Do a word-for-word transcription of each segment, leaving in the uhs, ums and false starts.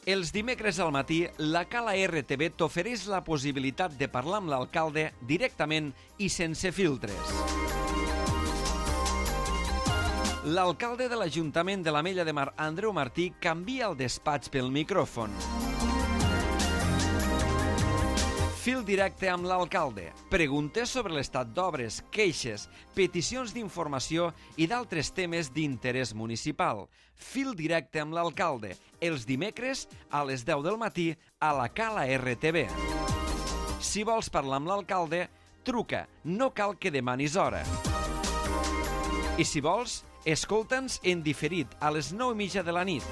Els dimecres al matí, la Cala R T V t'ofereix la possibilitat de parlar amb l'alcalde directament i sense filtres. L'alcalde de l'Ajuntament de l'Ametlla de Mar, Andreu Martí, canvia el despatx pel micròfon. Fil directe amb l'alcalde. Preguntes sobre l'estat d'obres, queixes, peticions d'informació i d'altres temes d'interès municipal. Fil directe amb l'alcalde. Els dimecres a les deu del matí a la Cala R T V. Si vols parlar amb l'alcalde, truca. No cal que demanis hora. I si vols, escolta'ns en diferit a les nou i mitja de la nit.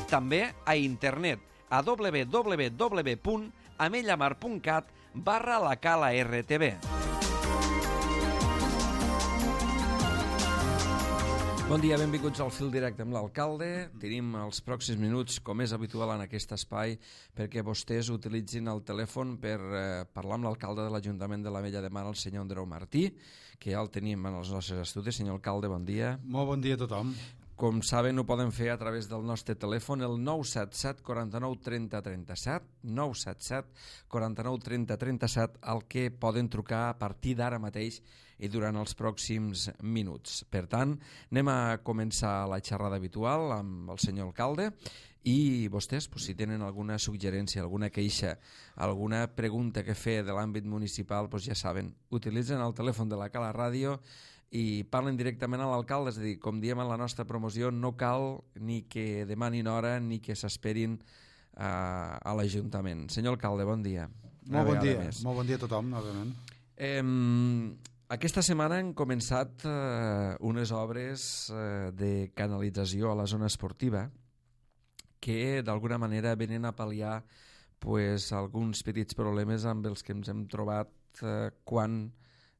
També a internet a w w w punt amellamar punt cat barra la Cala R T V. Bon dia, benvinguts al Fil Directe amb l'alcalde. Tenim els pròxims minuts, com és habitual en aquest espai, perquè vostès utilitzin el telèfon per eh, parlar amb l'alcalde de l'Ajuntament de l'Ametlla de Mar, el senyor Andreu Martí, que ja el tenim en els nostres estudis. Senyor alcalde, bon dia. Molt bon dia a tothom. Com saben, ho poden fer a través del nostre telèfon, el nou set set quaranta-nou trenta trenta-set, nou set set quaranta-nou trenta trenta-set, al que poden trucar a partir d'ara mateix i durant els pròxims minuts. Per tant, anem a començar la xerrada habitual amb el senyor alcalde i vostès, pues, si tenen alguna suggerència, alguna queixa, alguna pregunta que fer de l'àmbit municipal, pues, ja saben, utilitzen el telèfon de la Cala Ràdio i parlen directament a l'alcalde. És a dir, com diem en la nostra promoció, no cal ni que demanin hora ni que s'esperin a, a l'Ajuntament. Senyor alcalde, bon dia. Molt bon dia, més. Molt bon dia a tothom, novament. Eh, aquesta setmana han començat eh, unes obres eh, de canalització a la zona esportiva que d'alguna manera venen a pal·liar pues, alguns petits problemes amb els que ens hem trobat eh, quan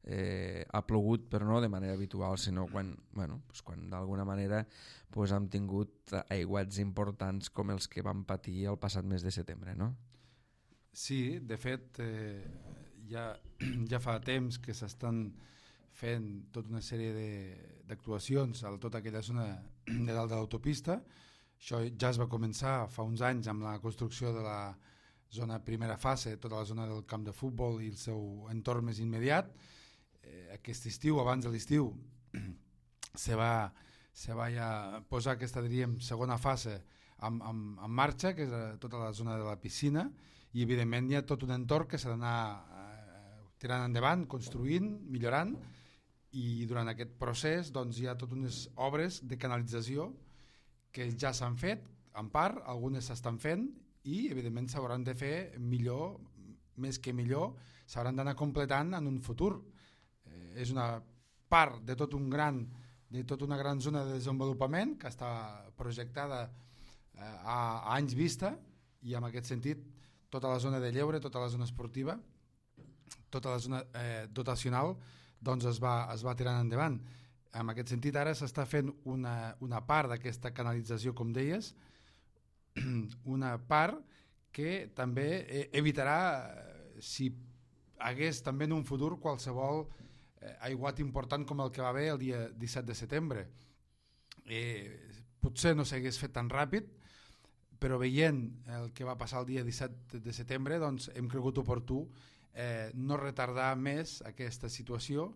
Eh, ha plogut, però no de manera habitual, sinó quan, bueno, pues quan d'alguna manera pues, hem tingut aiguats importants com els que vam patir el passat mes de setembre, no? Sí, de fet, eh, ja, ja fa temps que s'estan fent tota una sèrie d'actuacions a tota aquella zona de dalt de l'autopista. Això ja es va començar fa uns anys amb la construcció de la zona primera fase, tota la zona del camp de futbol i el seu entorn més immediat. Eh, aquest estiu, abans de l'estiu, se va, se va ja posar aquesta, diríem, segona fase en, en, en marxa, que és tota la zona de la piscina, i evidentment hi ha tot un entorn que s'ha d'anar eh, tirant endavant, construint, millorant, i durant aquest procés doncs, hi ha totes unes obres de canalització que ja s'han fet, en part, algunes s'estan fent, i evidentment s'hauran de fer millor, més que millor, s'hauran d'anar completant en un futur. Eh, és una part de tot un gran de tota una gran zona de desenvolupament que està projectada eh, a, a anys vista, i en aquest sentit tota la zona de lleure, tota la zona esportiva, tota la zona eh, dotacional doncs es va, es va tirant endavant. En aquest sentit ara s'està fent una, una part d'aquesta canalització, com deies, una part que també evitarà, si hagués també en un futur qualsevol eh, aiguat important com el que va haver el dia disset de setembre. Eh, potser no s'hagués fet tan ràpid, però veient el que va passar el dia disset de setembre, doncs hem cregut oportú eh, no retardar més aquesta situació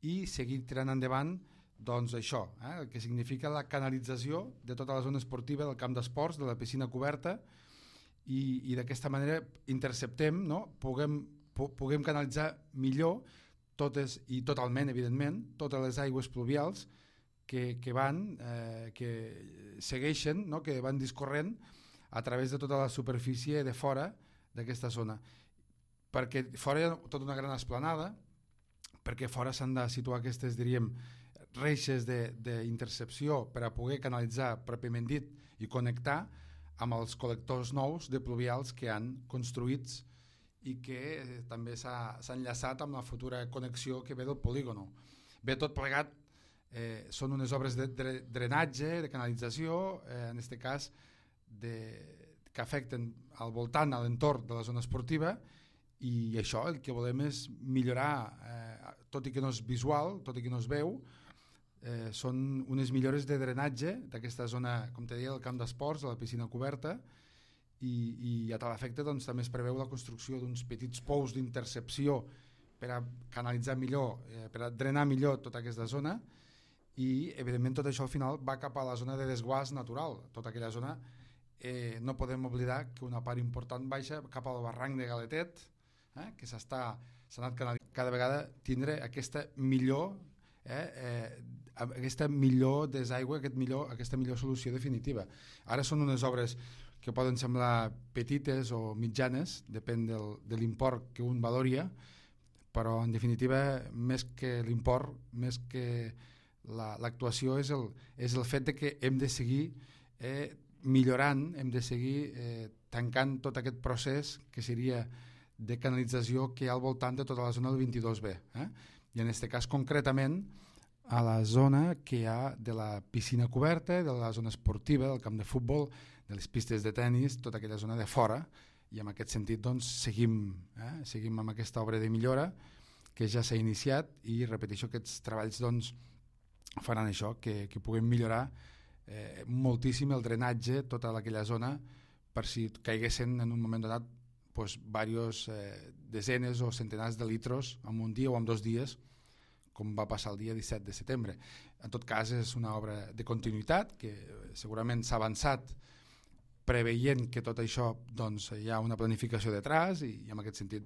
i seguir tirant endavant doncs això, eh, el que significa la canalització de tota la zona esportiva del camp d'esports, de la piscina coberta, i, i d'aquesta manera interceptem, no? puguem, pu, puguem canalitzar millor totes, i totalment, evidentment, totes les aigües pluvials que, que van, eh, que segueixen, no? que van discorrent a través de tota la superfície de fora d'aquesta zona. Perquè fora hi ha tota una gran esplanada, perquè fora s'han de situar aquestes, diríem, reixes d'intercepció per a poder canalitzar, pròpiament dit, i connectar amb els col·lectors nous de pluvials que han construïts i que eh, també s'ha enllaçat amb la futura connexió que ve del polígono. Ve tot plegat, eh, són unes obres de, de drenatge, de canalització, eh, en aquest cas de, que afecten al voltant, a l'entorn de la zona esportiva, i això el que volem és millorar, eh, tot i que no és visual, tot i que no es veu, eh, són unes millores de drenatge d'aquesta zona, com te deia, del camp d'esports, de la piscina coberta, i, i a tal efecte doncs, també es preveu la construcció d'uns petits pous d'intercepció per a canalitzar millor, eh, per a drenar millor tota aquesta zona, i evidentment tot això al final va cap a la zona de desguàs natural. Tota aquella zona eh, no podem oblidar que una part important baixa cap al barranc de Galetet, eh, que s'està s'ha anat canalitzant cada vegada tindre aquesta millor eh, eh, aquesta millor desaigua, aquest millor, aquesta millor solució definitiva. Ara són unes obres que poden semblar petites o mitjanes, depèn del, de l'import que un valoria, però en definitiva més que l'import, més que l'actuació la, és, el, és el fet de que hem de seguir eh, millorant, hem de seguir eh, tancant tot aquest procés que seria de canalització que hi ha al voltant de tota la zona del vint-i-dos B. Eh? I en aquest cas concretament a la zona que hi ha de la piscina coberta, de la zona esportiva, del camp de futbol, de les pistes de tennis, tota aquella zona de fora, i en aquest sentit doncs, seguim, eh? seguim amb aquesta obra de millora que ja s'ha iniciat i repeteixo, aquests treballs doncs, faran això, que, que puguem millorar eh, moltíssim el drenatge, tota aquella zona, per si caiguessin en un moment donat pues, diversos eh, desenes o centenars de litros en un dia o en dos dies, com va passar el dia disset de setembre. En tot cas, és una obra de continuïtat que segurament s'ha avançat preveient que tot això doncs, hi ha una planificació detrás i, i en aquest sentit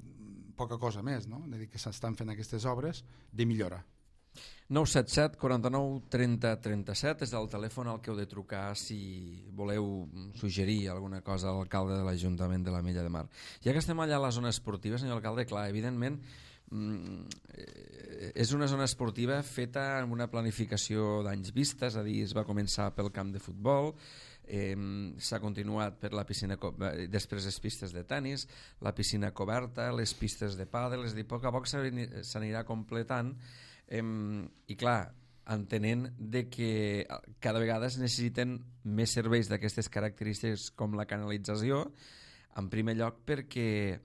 poca cosa més, no? De dir que s'estan fent aquestes obres de millora. nou set set, quaranta-nou, trenta, trenta-set és el telèfon al que heu de trucar si voleu suggerir alguna cosa a l'alcalde de l'Ajuntament de l'Ametlla de Mar. Ja que estem allà a la zona esportiva, senyor alcalde, clar, evidentment és una zona esportiva feta amb una planificació d'anys vista, és a dir, es va començar pel camp de futbol, eh, s'ha continuat per la piscina, després les pistes de tennis, la piscina coberta, les pistes de pàdel, és a dir, a poc a poc s'anirà completant eh, i clar, entenent de que cada vegada es necessiten més serveis d'aquestes característiques com la canalització, en primer lloc perquè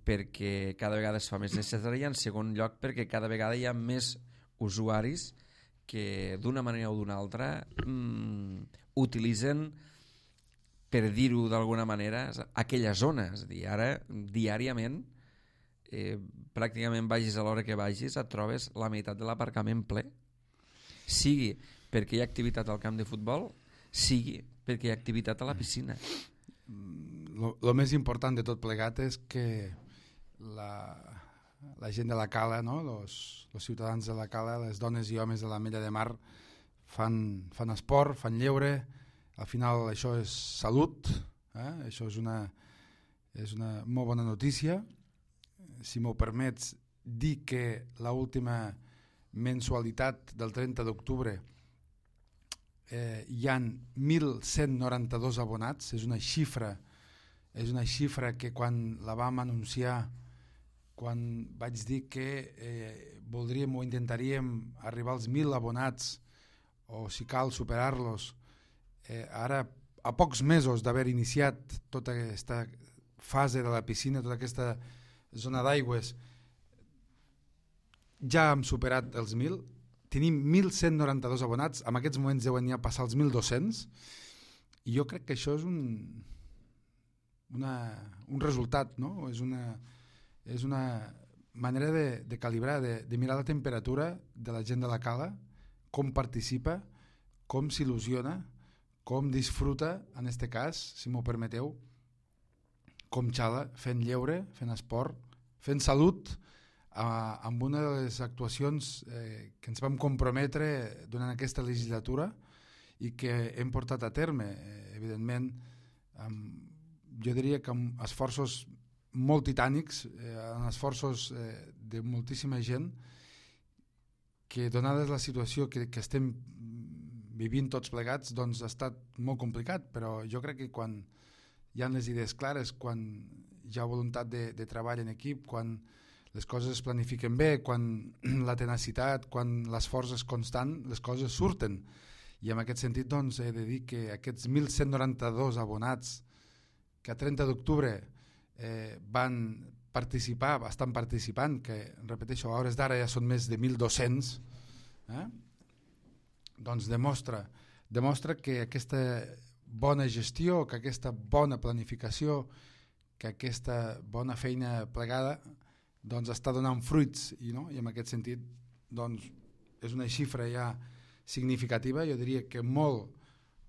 perquè cada vegada es fa més necessari i en segon lloc perquè cada vegada hi ha més usuaris que d'una manera o d'una altra mmm, utilitzen, per dir-ho d'alguna manera, aquella zona. És a dir, ara diàriament eh, pràcticament vagis a l'hora que vagis et trobes la meitat de l'aparcament ple, sigui perquè hi ha activitat al camp de futbol, sigui perquè hi ha activitat a la piscina. El més important de tot plegat és que La, la gent de la Cala, no? los, los ciutadans de la Cala, les dones i homes de l'Ametlla de Mar fan, fan esport, fan lleure, al final això és salut, eh? Això és una, és una molt bona notícia. Si m'ho permets dir que l'última mensualitat del trenta d'octubre eh, hi han mil cent noranta-dos abonats, és una xifra, és una xifra que quan la vam anunciar, quan vaig dir que eh, voldríem o intentaríem arribar als mil abonats o si cal superar-los, eh, ara a pocs mesos d'haver iniciat tota aquesta fase de la piscina, tota aquesta zona d'aigües, ja hem superat els mil, tenim mil cent noranta-dos abonats, en aquests moments deuen ja passar els mil dos-cents i jo crec que això és un, una, un resultat, no? És una és una manera de, de calibrar, de, de mirar la temperatura de la gent de la Cala, com participa, com s'il·lusiona, com disfruta, en aquest cas, si m'ho permeteu, com xala, fent lleure, fent esport, fent salut, eh, amb una de les actuacions eh, que ens vam comprometre durant aquesta legislatura i que hem portat a terme, eh, evidentment, amb, jo diria que amb esforços molt titànics, eh, en esforços eh, de moltíssima gent que donada la situació que, que estem vivint tots plegats doncs ha estat molt complicat, però jo crec que quan hi ha les idees clares, quan hi ha voluntat de, de treball en equip, quan les coses es planifiquen bé, quan la tenacitat, quan l'esforç és constant, les coses surten. I en aquest sentit doncs, he de dir que aquests mil cent noranta-dos abonats que a trenta d'octubre Eh, van participar, estan participant, que repeteixo, a hores d'ara ja són més de mil dos-cents, eh? Doncs demostra, demostra que aquesta bona gestió, que aquesta bona planificació, que aquesta bona feina plegada doncs està donant fruits i, no? I en aquest sentit doncs, és una xifra ja significativa, jo diria que molt,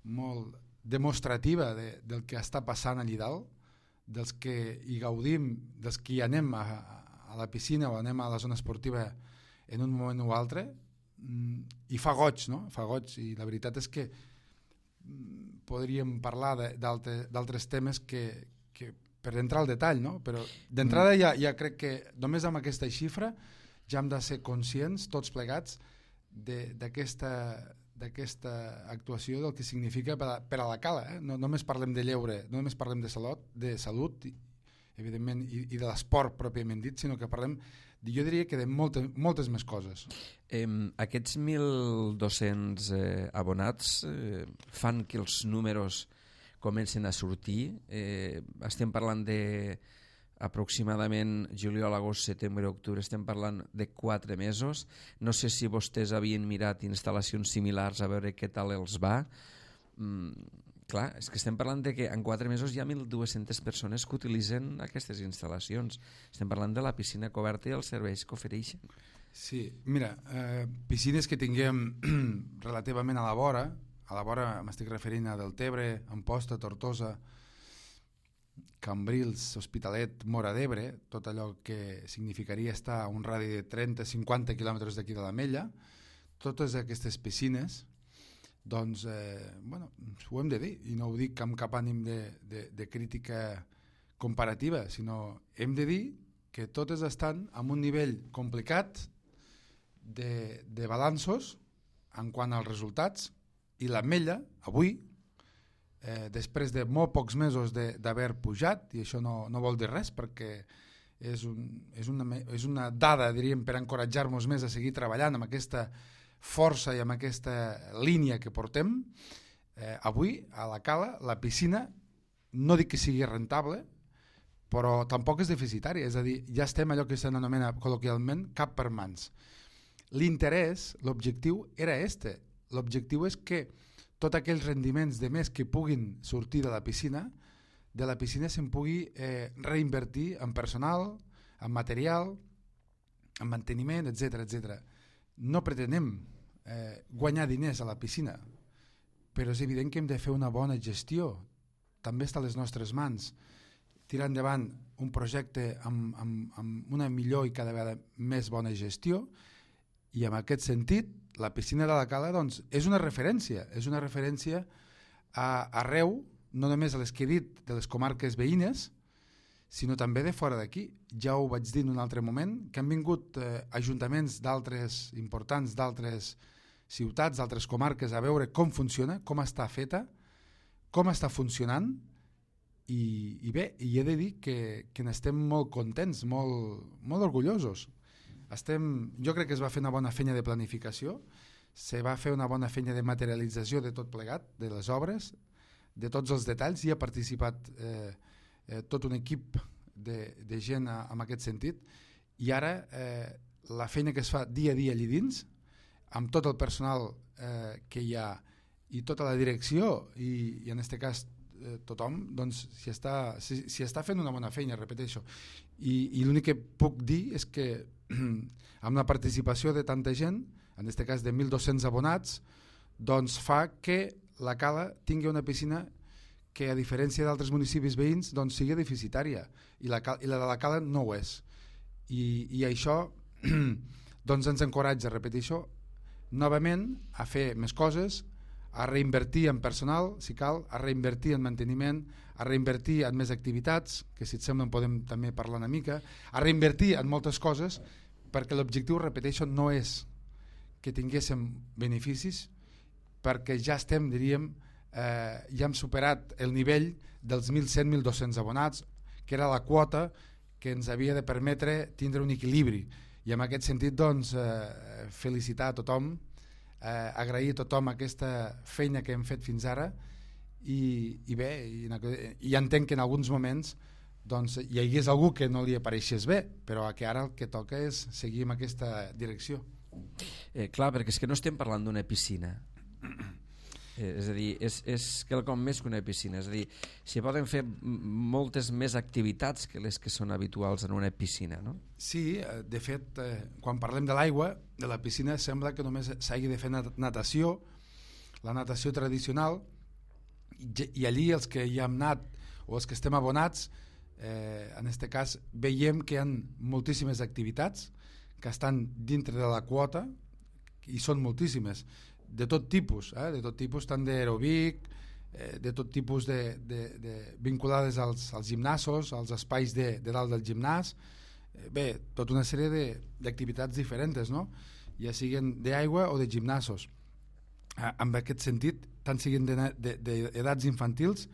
molt demostrativa de, del que està passant allà dalt, dels que hi gaudim, dels que hi anem a, a la piscina o anem a la zona esportiva en un moment o altre, i fa goig, no? Fa goig, i la veritat és que podríem parlar d'altres temes que, que per entrar al detall, no? Però d'entrada ja, ja crec que només amb aquesta xifra ja hem de ser conscients, tots plegats, d'aquesta d'aquesta actuació, del que significa per a, per a la cala. Eh? No només parlem de lleure, no només parlem de salut, de salut evidentment, i, i de l'esport pròpiament dit, sinó que parlem, jo diria que de moltes, moltes més coses. Eh, aquests mil dos-cents eh, abonats eh, fan que els números comencen a sortir. Eh, estem parlant de aproximadament juliol, agost, setembre, octubre, estem parlant de quatre mesos. No sé si vostès havien mirat instal·lacions similars a veure què tal els va. Mm, clar, és que estem parlant de que en quatre mesos hi ha mil dues-centes persones que utilitzen aquestes instal·lacions. Estem parlant de la piscina coberta i els serveis que ofereixen. Sí, mira, eh, piscines que tinguem relativament a la vora, a la vora m'estic referint a Deltebre, Amposta, Tortosa, Cambrils, Hospitalet, Móra d'Ebre, tot allò que significaria estar a un radi de trenta a cinquanta quilòmetres d'aquí de l'Ametlla, totes aquestes piscines, doncs, eh, bueno, ho hem de dir, i no ho dic amb cap ànim de, de, de crítica comparativa, sinó hem de dir que totes estan en un nivell complicat de, de balanços en quant als resultats, i l'Ametlla, avui, Eh, després de molt pocs mesos d'haver pujat, i això no, no vol dir res perquè és, un, és, una, és una dada, diríem, per encoratjar-nos més a seguir treballant amb aquesta força i amb aquesta línia que portem, eh, avui a la cala la piscina no dic que sigui rentable, però tampoc és deficitària, és a dir, ja estem allò que s'anomena col·loquialment cap per mans. L'interès, l'objectiu era este, l'objectiu és que tots aquells rendiments de més que puguin sortir de la piscina, de la piscina se'n pugui eh, reinvertir en personal, en material, en manteniment, etcètera, etcètera. No pretenem eh, guanyar diners a la piscina, però és evident que hem de fer una bona gestió. També està a les nostres mans. Tirar endavant un projecte amb, amb, amb una millor i cada vegada més bona gestió, i en aquest sentit la piscina de la Cala doncs, és una referència, és una referència a, arreu, no només a les que he dit de les comarques veïnes, sinó també de fora d'aquí. Ja ho vaig dir en un altre moment, que han vingut eh, ajuntaments d'altres importants, d'altres ciutats, d'altres comarques, a veure com funciona, com està feta, com està funcionant, i, i bé, i he de dir que, que n'estem molt contents, molt, molt orgullosos. Estem, jo crec que es va fer una bona feina de planificació, se va fer una bona feina de materialització de tot plegat, de les obres, de tots els detalls, i ha participat eh, eh, tot un equip de, de gent a, en aquest sentit, i ara eh, la feina que es fa dia a dia allà dins, amb tot el personal eh, que hi ha i tota la direcció i, i en aquest cas eh, tothom, doncs s'hi està, si, si està fent una bona feina, repeteixo. I, i l'únic que puc dir és que amb la participació de tanta gent, en aquest cas de mil dos-cents abonats, doncs fa que la Cala tingui una piscina que, a diferència d'altres municipis veïns, doncs sigui deficitària, i la, i la de la Cala no ho és. I, i això doncs ens encoratja, repeteixo, novament a fer més coses, a reinvertir en personal, si cal, a reinvertir en manteniment, a reinvertir en més activitats, que si et sembla en podem també parlar una mica, a reinvertir en moltes coses, perquè l'objectiu, repeteixo, no és que tinguéssim beneficis, perquè ja estem, diríem, eh, ja hem superat el nivell dels mil cent a mil dos-cents abonats, que era la quota que ens havia de permetre tindre un equilibri. I en aquest sentit, doncs, eh, felicitar a tothom, eh, agrair a tothom aquesta feina que hem fet fins ara, i, i bé, i, i entenc que en alguns moments doncs, hi hagués algú que no li apareixés bé, però que ara el que toca és seguir en aquesta direcció. Eh, clar, perquè és que no estem parlant d'una piscina. Eh, és a dir, és, és quelcom més que una piscina. És a dir, s'hi poden fer moltes més activitats que les que són habituals en una piscina, no? Sí, de fet, eh, quan parlem de l'aigua, de la piscina, sembla que només s'hagi de fer natació, la natació tradicional, i, i allí els que hi hem anat o els que estem abonats, eh, en aquest cas veiem que hi ha moltíssimes activitats que estan dintre de la quota, i són moltíssimes, de tot tipus, eh? de tot tipus, tant d'aeròbic, eh, de tot tipus de, de, de vinculades als, als gimnasos, als espais de, de dalt del gimnàs, eh, bé, tota una sèrie d'activitats diferents, no? Ja siguin d'aigua o de gimnasos. Eh, en aquest sentit, tant siguin d'edats infantils,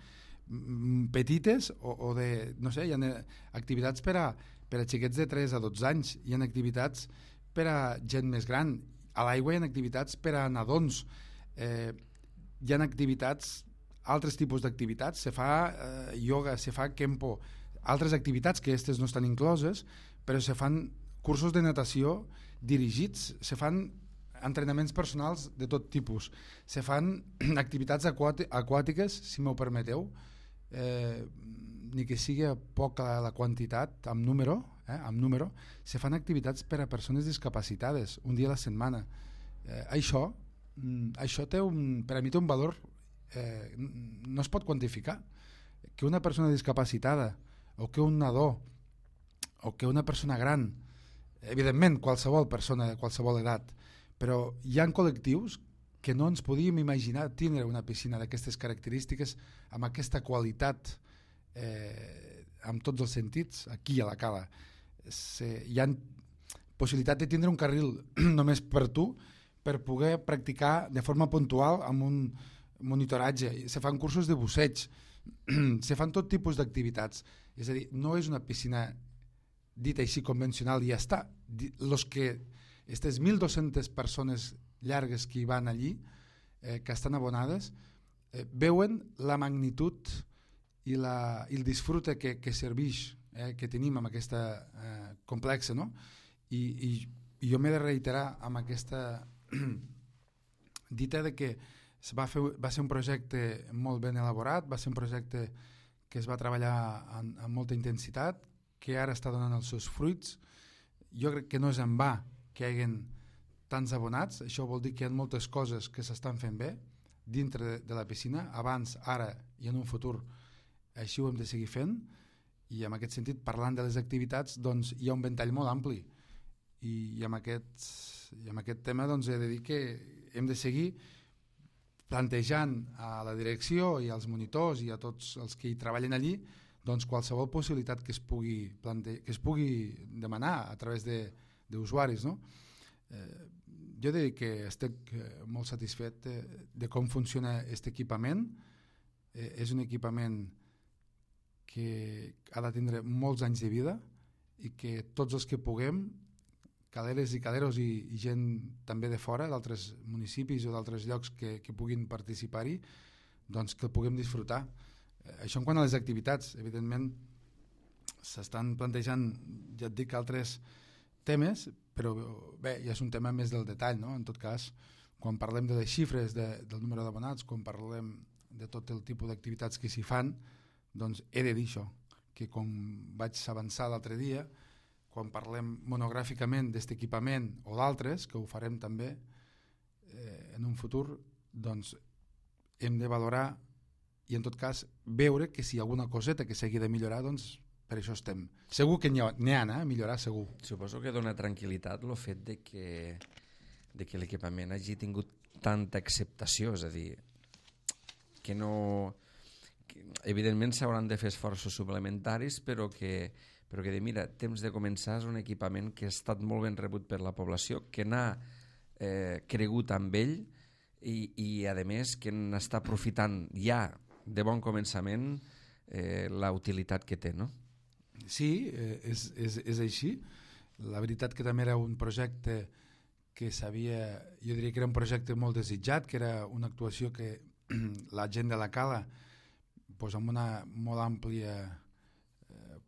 petites o, o de, no sé, hi ha activitats per a, per a xiquets de tres a dotze anys, hi ha activitats per a gent més gran, a l'aigua hi ha activitats per a nadons, eh, hi ha activitats, altres tipus d'activitats, se fa eh, ioga, se fa kempo, altres activitats que aquestes no estan incloses, però se fan cursos de natació dirigits, se fan entrenaments personals de tot tipus, se fan activitats aquàtiques, si m'ho permeteu, eh, ni que sigui poca la quantitat, amb número, eh, amb número, se fan activitats per a persones discapacitades, un dia a la setmana. Eh, això, això té un, per a mi té un valor, eh, no es pot quantificar. Que una persona discapacitada, o que un nadó, o que una persona gran, evidentment qualsevol persona de qualsevol edat, però hi ha col·lectius que no ens podíem imaginar tindre una piscina d'aquestes característiques, amb aquesta qualitat, eh, amb tots els sentits, aquí a la Cala. Se, hi ha possibilitat de tindre un carril només per tu, per poder practicar de forma puntual amb un monitoratge. Se fan cursos de busseig, se fan tot tipus d'activitats. És a dir, no és una piscina dita així convencional i ja està. Los que, aquestes mil dos-centes persones llargues que hi van allí, eh, que estan abonades, eh, veuen la magnitud i, la, i el disfrute que, que serveix, eh, que tenim amb aquesta eh, complexa, no? I, i, i jo m'he de reiterar amb aquesta dita de que es va, fer, va ser un projecte molt ben elaborat, va ser un projecte que es va treballar amb, amb molta intensitat, que ara està donant els seus fruits. Jo crec que no és en va que hi hagin tants abonats, això vol dir que hi ha moltes coses que s'estan fent bé dintre de, de la piscina, abans, ara i en un futur així ho hem de seguir fent, i en aquest sentit, parlant de les activitats, doncs hi ha un ventall molt ampli, i, i, amb, aquest, i amb aquest tema doncs, he de dir que hem de seguir plantejant a la direcció i als monitors i a tots els que hi treballen allí doncs qualsevol possibilitat que es pugui, plante... que es pugui demanar a través d'usuaris, no? Eh, jo he de dir que estic molt satisfet de, de com funciona aquest equipament. Eh, és un equipament que ha de tindre molts anys de vida i que tots els que puguem, caleres i caleros i, i gent també de fora, d'altres municipis o d'altres llocs que, que puguin participar-hi, doncs que el puguem disfrutar. Eh, això en quant a les activitats, evidentment s'estan plantejant, ja et dic, altres temes, però bé, ja és un tema més del detall, no? En tot cas, quan parlem de les xifres de, del número d'abonats, quan parlem de tot el tipus d'activitats que s'hi fan, doncs he de dir això, que com vaig avançar l'altre dia, quan parlem monogràficament d'aquest equipament o d'altres, que ho farem també eh, en un futur, doncs hem de valorar i en tot cas veure que si hi ha alguna coseta que s'hagi de millorar, doncs per això estem. Segur que n'hi ha, n'hi ha eh? millorar, segur. Suposo que dona tranquil·litat el fet de que, de que l'equipament hagi tingut tanta acceptació, és a dir, que no... Que, evidentment s'hauran de fer esforços suplementaris, però que, però que de, mira, temps de començar és un equipament que ha estat molt ben rebut per la població, que n'ha eh, cregut amb ell i, i a més que n'està aprofitant ja de bon començament eh, la utilitat que té, no? Sí, eh, és, és, és així. La veritat que també era un projecte que s'havia, jo diria que era un projecte molt desitjat, que era una actuació que la gent de la Cala, doncs amb una molt àmplia eh,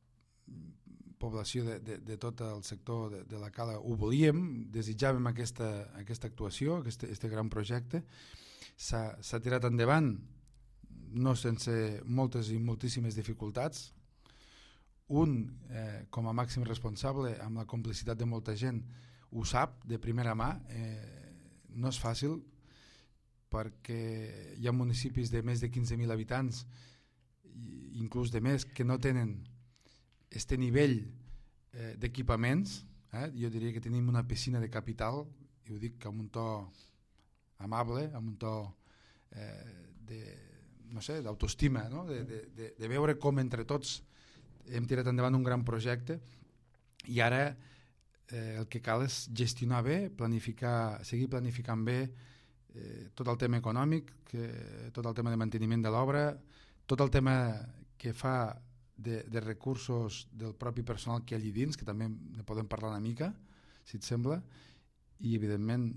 població de, de, de tot el sector de, de la Cala ho volíem, desitjàvem aquesta, aquesta actuació, aquest, aquest gran projecte. s'ha tirat endavant, no sense moltes i moltíssimes dificultats. Un, eh, com a màxim responsable, amb la complicitat de molta gent, ho sap de primera mà. Eh, no és fàcil, perquè hi ha municipis de més de quinze mil habitants, inclús de més, que no tenen este nivell eh, d'equipaments. Eh? Jo diria que tenim una piscina de capital, i ho dic amb un to amable, amb un to eh, de, no sé, d'autoestima, no? de, de, de, de veure com entre tots hem tirat endavant un gran projecte, i ara eh, el que cal és gestionar bé, planificar, seguir planificant bé eh, tot el tema econòmic, que, tot el tema de manteniment de l'obra, tot el tema que fa de, de recursos del propi personal que hi ha allí dins, que també ne podem parlar una mica, si et sembla, i evidentment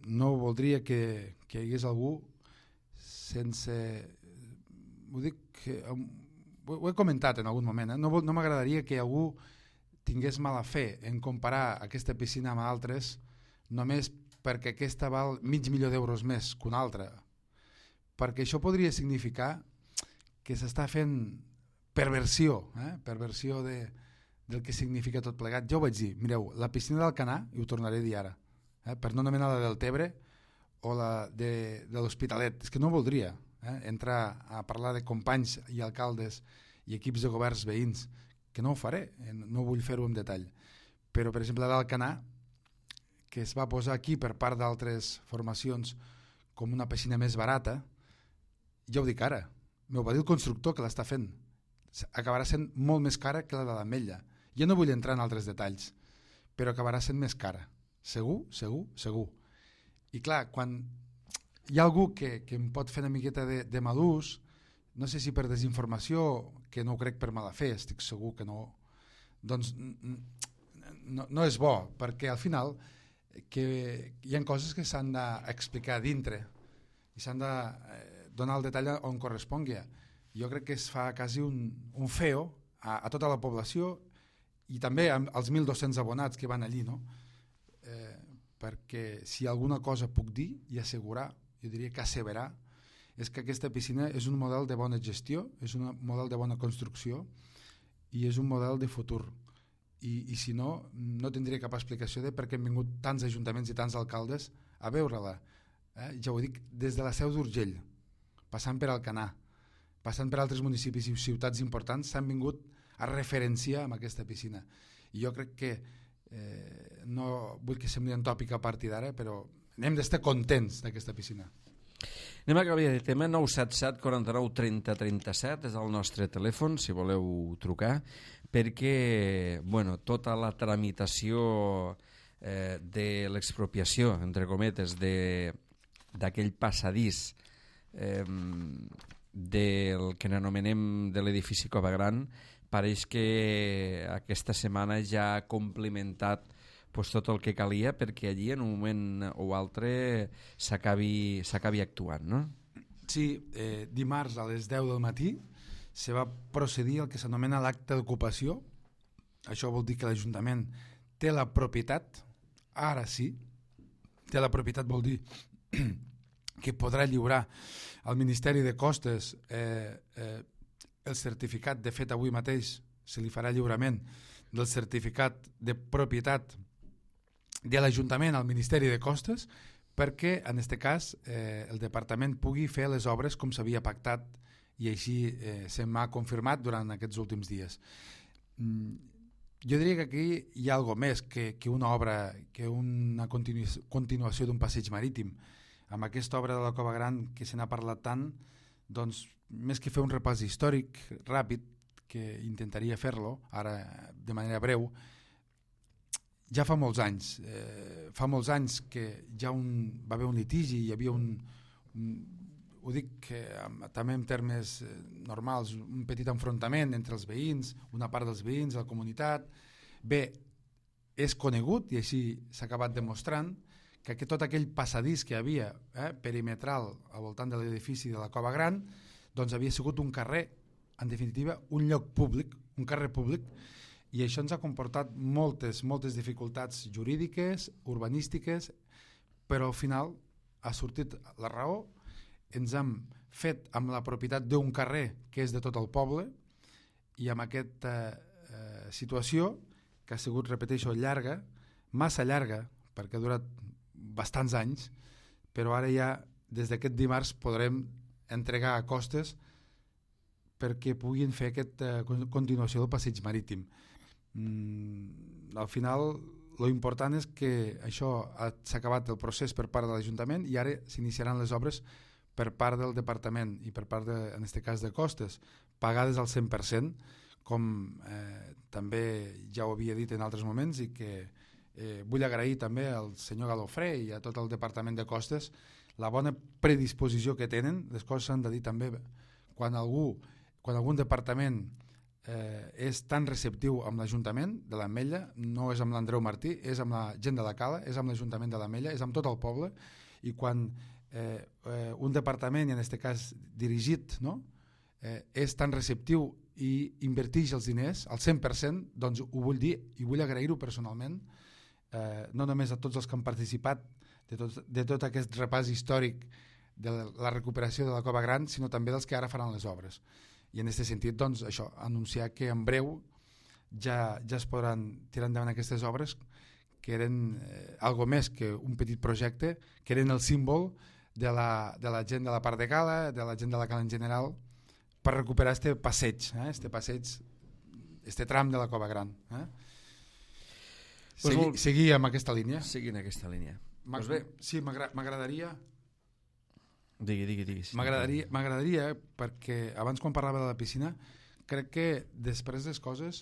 no voldria que, que hi hagués algú sense... Ho dic que... Ho he comentat en algun moment, eh? no, no m'agradaria que algú tingués mala fe en comparar aquesta piscina amb altres només perquè aquesta val mig milió d'euros més que una altra, perquè això podria significar que s'està fent perversió, eh? perversió de, del que significa tot plegat. Jo ho vaig dir, mireu, la piscina d'Alcanar, i ho tornaré a dir ara, eh? per no anomenar la del Tebre o la de, de l'Hospitalet, és que no voldria eh? entrar a parlar de companys i alcaldes i equips de governs veïns, que no ho faré, no vull fer-ho en detall. Però, per exemple, d'Alcanar, que es va posar aquí per part d'altres formacions com una piscina més barata, ja ho dic ara, m'ho va dir el constructor que l'està fent, acabarà sent molt més cara que la de l'Ametlla. Jo no vull entrar en altres detalls, però acabarà sent més cara. Segur, segur, segur. I clar, quan hi ha algú que, que em pot fer una miqueta de, de malús, no sé si per desinformació, que no ho crec per mala fe, estic segur que no, doncs no, no és bo, perquè al final que hi ha coses que s'han d'explicar dintre i s'han de donar el detall on correspongui. Jo crec que es fa quasi un, un feo a, a tota la població i també als mil dos-cents abonats que van allí, no? Eh, perquè si alguna cosa puc dir i assegurar, jo diria que asseverar, és que aquesta piscina és un model de bona gestió, és un model de bona construcció i és un model de futur. I, i si no, no tindria cap explicació de per què han vingut tants ajuntaments i tants alcaldes a veure-la. Eh? Ja ho dic, des de la Seu d'Urgell, passant per Alcanar, passant per altres municipis i ciutats importants, s'han vingut a referenciar amb aquesta piscina. I jo crec que, eh, no vull que sembli un tòpic a partir d'ara, però hem d'estar contents d'aquesta piscina. Anem a canviar de tema. Nou set set quaranta-nou trenta trenta-set és el nostre telèfon, si voleu trucar, perquè bueno, tota la tramitació eh, de l'expropiació, entre cometes, d'aquell passadís eh, del que n'anomenem de l'edifici Cova Gran, pareix que aquesta setmana ja ha complimentat pues, tot el que calia perquè allí en un moment o altre s'acabi s'acabi actuant, no? Sí, eh, dimarts a les deu del matí se va procedir al que s'anomena l'acte d'ocupació. Això vol dir que l'Ajuntament té la propietat, ara sí, té la propietat vol dir que podrà lliurar al Ministeri de Costes eh, eh, el certificat. De fet, avui mateix se li farà lliurament del certificat de propietat de l'Ajuntament al Ministeri de Costes, perquè en aquest cas eh, el departament pugui fer les obres com s'havia pactat i així eh, se m'ha confirmat durant aquests últims dies. Mm, jo diria que aquí hi ha alguna més que, que una obra, que una continu continuació d'un passeig marítim. Amb aquesta obra de la Cova Gran que se n'ha parlat tant, doncs més que fer un repàs històric ràpid, que intentaria fer-lo ara de manera breu, ja fa molts anys, eh, fa molts anys que ja un, va haver un litigi, hi havia un, un ho dic que, també en termes normals, un petit enfrontament entre els veïns, una part dels veïns, la comunitat. Bé, és conegut i així s'ha acabat demostrant que, que tot aquell passadís que hi havia eh, perimetral al voltant de l'edifici de la Cova Gran doncs havia sigut un carrer, en definitiva un lloc públic, un carrer públic, i això ens ha comportat moltes, moltes dificultats jurídiques, urbanístiques, però al final ha sortit la raó, ens hem fet amb la propietat d'un carrer que és de tot el poble, i amb aquesta eh, situació, que ha sigut, repeteixo, llarga, massa llarga, perquè ha durat bastants anys, però ara ja, des d'aquest dimarts, podrem entregar a Costes perquè puguin fer aquesta continuació del passeig marítim. Mm, al final, lo important és que això s'ha acabat el procés per part de l'Ajuntament i ara s'iniciaran les obres per part del Departament i per part, de, en aquest cas, de Costes, pagades al cent per cent, com eh, també ja ho havia dit en altres moments, i que eh, vull agrair també al senyor Galofré i a tot el Departament de Costes la bona predisposició que tenen. Les coses s'han de dir també quan algú, quan algun departament eh, és tan receptiu amb l'Ajuntament de l'Ametlla, no és amb l'Andreu Martí, és amb la gent de la Cala, és amb l'Ajuntament de l'Ametlla, és amb tot el poble, i quan eh, eh, un departament, i en aquest cas dirigit, no? eh, és tan receptiu i inverteix els diners al cent per cent, doncs ho vull dir i vull agrair-ho personalment, eh, no només a tots els que han participat de tot, de tot aquest repàs històric de la recuperació de la Cova Gran, sinó també dels que ara faran les obres. I en aquest sentit, doncs, això, anunciar que en breu ja, ja es podran tirar endavant aquestes obres, que eren eh, algo més que un petit projecte, que eren el símbol de la, de la gent de la part de Cala, de la gent de la Cala en general, per recuperar este passeig, eh? este passeig, este tram de la Cova Gran. Eh? Pues Segui, molt... Seguir amb aquesta línia. Seguir en aquesta línia. Pues bé. Sí, m'agradaria... Digui, digui, digui. Sí. M'agradaria, m'agradaria, perquè abans quan parlava de la piscina, crec que després les coses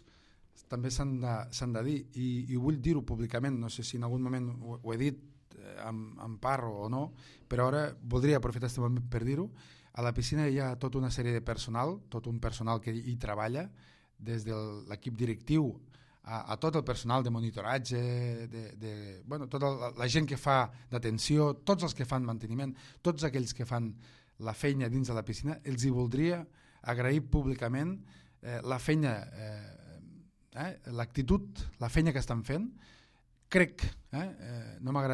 també s'han de, s'han de dir, i, i vull dir-ho públicament, no sé si en algun moment ho, ho he dit eh, amb, amb part o no, però ara voldria aprofitar aquest moment per dir-ho. A la piscina hi ha tota una sèrie de personal, tot un personal que hi treballa, des de l'equip directiu a, a tot el personal de monitoratge, de, de, bueno, tota la, la gent que fa d'atenció, tots els que fan manteniment, tots aquells que fan la feina dins de la piscina, els hi voldria agrair públicament eh, la feina, eh, eh, l'actitud, la feina que estan fent. Crec, eh, eh, no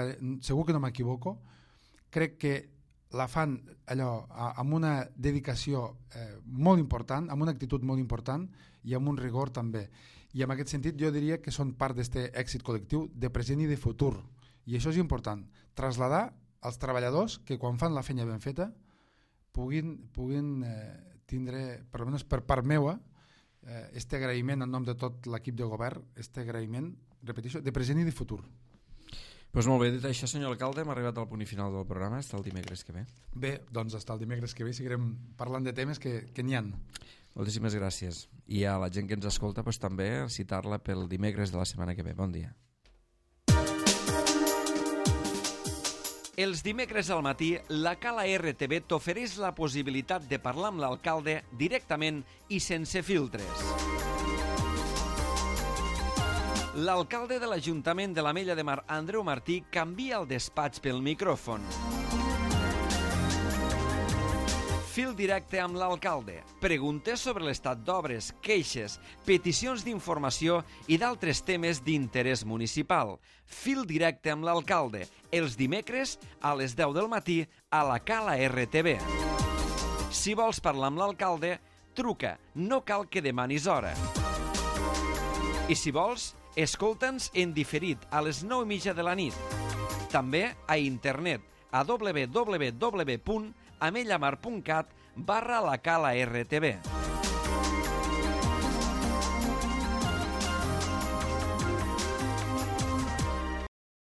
segur que no m'equivoco, crec que la fan allò amb una dedicació eh, molt important, amb una actitud molt important i amb un rigor també. I en aquest sentit jo diria que són part d'aquest èxit col·lectiu de present i de futur. I això és important, traslladar als treballadors que quan fan la feina ben feta puguin, puguin eh, tindre, per almenys per part meua, eh, este agraïment en nom de tot l'equip de govern, este agraïment, repeteixo, de present i de futur. Pues molt bé, dit això, senyor alcalde, hem arribat al punt i final del programa. Està el dimecres que ve. Bé, doncs està el dimecres que ve, seguirem parlant de temes que, que n'hi ha. Moltíssimes gràcies. I a la gent que ens escolta, pues, també citar-la pel dimecres de la setmana que ve. Bon dia. Els dimecres al matí, la Cala R T V t'ofereix la possibilitat de parlar amb l'alcalde directament i sense filtres. L'alcalde de l'Ajuntament de l'Ametlla de Mar, Andreu Martí, canvia el despatx pel micròfon. Fil directe amb l'alcalde. Preguntes sobre l'estat d'obres, queixes, peticions d'informació i d'altres temes d'interès municipal. Fil directe amb l'alcalde. Els dimecres a les deu del matí a la Cala R T V. Si vols parlar amb l'alcalde, truca. No cal que demanis hora. I si vols, escolta'ns en diferit a les nou i mitja de la nit. També a internet a w w w punt amellamar punt cat barra la Cala R T V.